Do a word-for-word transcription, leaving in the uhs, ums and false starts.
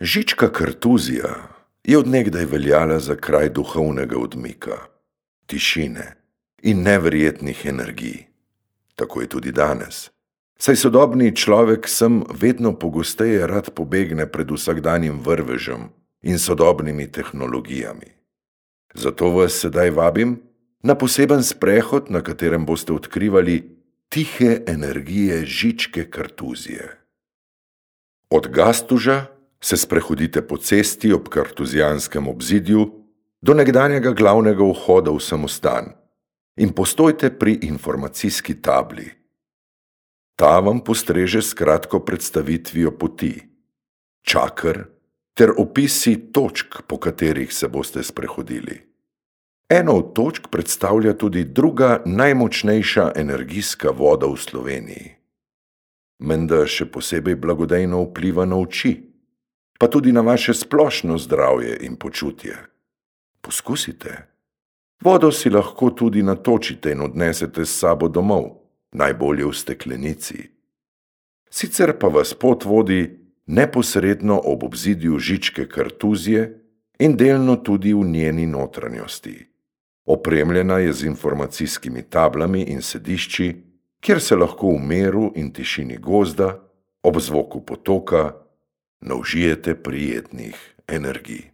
Žička Kartuzija je od nekdaj veljala za kraj duhovnega odmika, tišine in neverjetnih energij. Tako je tudi danes, saj sodobni človek sem vedno pogosteje rad pobegne pred vsakdanjim vrvežem in sodobnimi tehnologijami. Zato vas sedaj vabim na poseben sprehod, na katerem boste odkrivali tihe energije Žičke Kartuzije. Od Gastuža se sprehodite po cesti ob kartuzijanskem obzidju do nekdanjega glavnega vhoda v samostan in postojte pri informacijski tabli. Ta vam postreže s kratko predstavitvijo poti, čaker ter opisi točk, po katerih se boste sprehodili. Eno od točk predstavlja tudi druga najmočnejša energijska voda v Sloveniji. Menda še posebej blagodejno vpliva na oči, pa tudi na vaše splošno zdravje in počutje. Poskusite. Vodo si lahko tudi natočite in odnesete s sabo domov, najbolje v steklenici. Sicer pa vas pot vodi neposredno ob obzidju Žičke Kartuzije in delno tudi v njeni notranjosti. Opremljena je z informacijskimi tablami in sedišči, kjer se lahko v miru in tišini gozda, ob zvoku potoka, naužijete prijetnih energij.